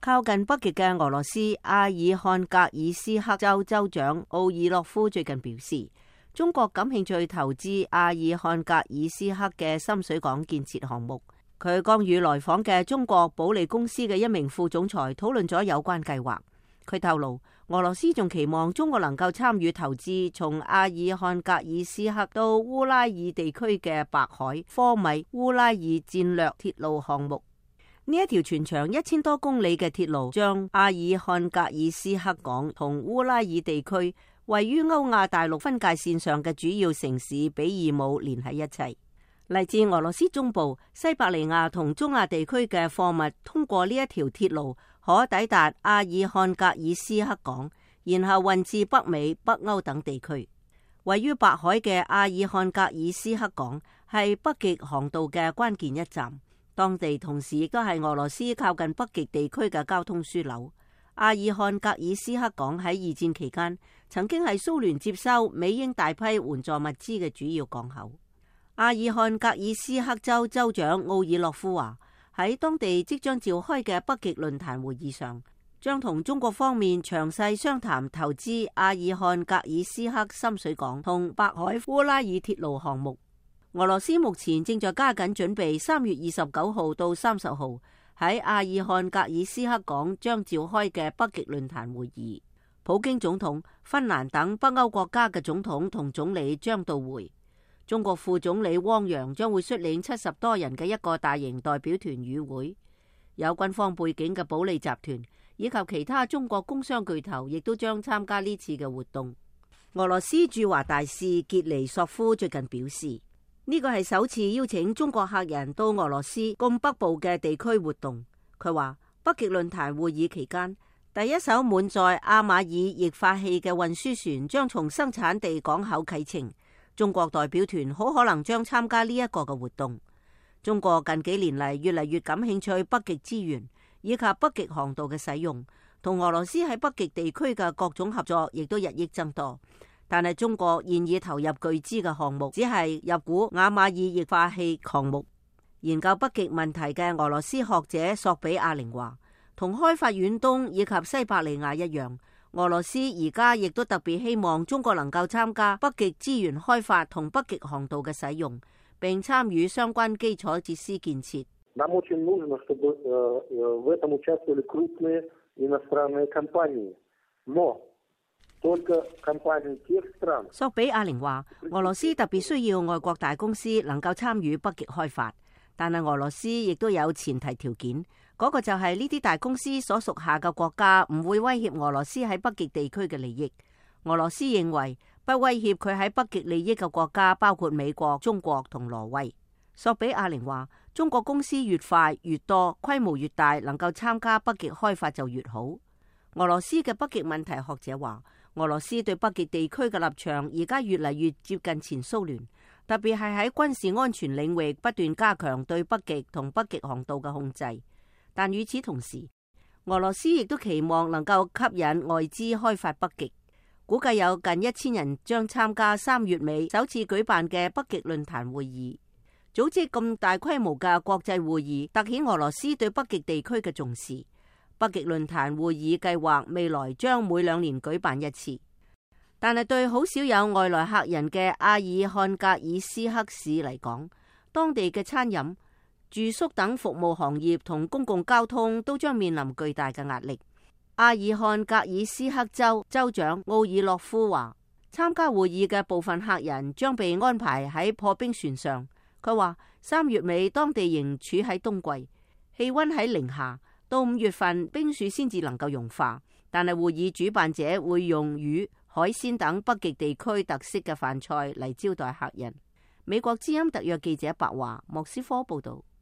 靠近北極嘅俄羅斯阿爾漢格爾斯克州州長奧爾洛夫最近表示，中國感興趣投資阿爾漢格爾斯克嘅深水港建設項目。佢剛與來訪嘅中國保利公司嘅一名副總裁討論咗有關計劃。佢透露，俄羅斯仲期望中國能夠參與投資從阿爾漢格爾斯克到烏拉爾地區嘅白海科米烏拉爾戰略鐵路項目。呢一條全長1000多公里嘅鐵路，將阿爾漢格爾斯克港同烏拉爾地區位於歐亞大陸分界線上嘅主要城市比爾姆連喺一齊。嚟自俄羅斯中部、西伯利亞同中亞地區嘅貨物通過呢一條鐵路，可抵達阿爾漢格爾斯克港，然後運至北美、北歐等地區。位於白海嘅阿爾漢格爾斯克港係北極航道嘅關鍵一站。當地同時亦都係俄羅斯靠近北極地區嘅交通樞紐。阿爾漢格爾斯克港喺二戰期間曾經係蘇聯接收美英大批援助物資嘅主要港口。阿爾漢格爾斯克州州長奧爾洛夫話，喺當地即將召開嘅北極論壇會議上，將同中國方面詳細商談投資阿爾漢格爾斯克深水港同白海烏拉爾鐵路項目。俄羅斯目前正在加緊準備3月29號到30號喺阿爾漢格爾斯克港將召開嘅北極論壇會議。普京總統、芬蘭等北歐國家嘅總統同總理將到會。中國副總理汪洋將會率領70多人嘅一個大型代表團與會。有軍方背景嘅保利集團以及其他中國工商巨頭亦都將參加呢次嘅活動。俄羅斯駐華大使傑尼索夫最近表示，呢個係首次邀請中國客人到俄羅斯咁北部嘅地區活動。佢話北極論壇會議期間，第一艘滿載阿馬爾液化氣嘅運輸船將從生產地港口啟程。中國代表團好可能將參加呢一個嘅活動。中國近幾年嚟越嚟越感興趣北極資源以及北極航道嘅使用，同俄羅斯喺北極地區嘅各種合作亦都日益增多。但係中國現已投入巨資嘅項目，只係入股阿馬爾液化氣項目。研究北極問題嘅俄羅斯學者索比亞寧話，同開發遠東以及西伯利亞一樣，俄羅斯而家亦都特別希望中國能夠參加北極資源開發同北極航道嘅使用，並參與相關基礎設施建設。索比亞寧話，俄羅斯特別需要外國大公司能夠參與北極開發，但係俄羅斯亦都有前提條件，嗰個就係呢啲大公司所屬下嘅國家唔會威脅俄羅斯喺北極地區嘅利益。俄羅斯認為不威脅佢喺北極利益嘅國家包括美國、中國同挪威。索比亞寧話，中國公司越快越多，規模越大，能夠參加北極開發就越好。俄羅斯嘅北極問題學者話，俄羅斯對北極地區嘅立場而家越嚟越接近前蘇聯，特別係喺軍事安全領域不斷加強對北極同北極航道嘅控制。但與此同時，俄羅斯亦都期望能夠吸引外資開發北極。估計有近1000人將參加3月尾首次舉辦嘅北極論壇會議。組織咁大規模嘅國際會議，凸顯俄羅斯對北極地區嘅重視。北極論壇會議計劃未來將每2年舉辦一次，但係對好少有外來客人嘅阿爾漢格爾斯克市嚟講，當地嘅餐飲、住宿等服務行業同公共交通都將面臨巨大嘅壓力。阿爾漢格爾斯克州州長奧爾洛夫話，參加會議嘅部分客人將被安排喺破冰船上。佢話3月尾當地仍處喺冬季，氣溫喺零下。到5月份，冰雪先至能夠融化，但係會議主辦者會用魚、海鮮等北極地區特色嘅飯菜嚟招待客人。美國之音特約記者白華莫斯科報道。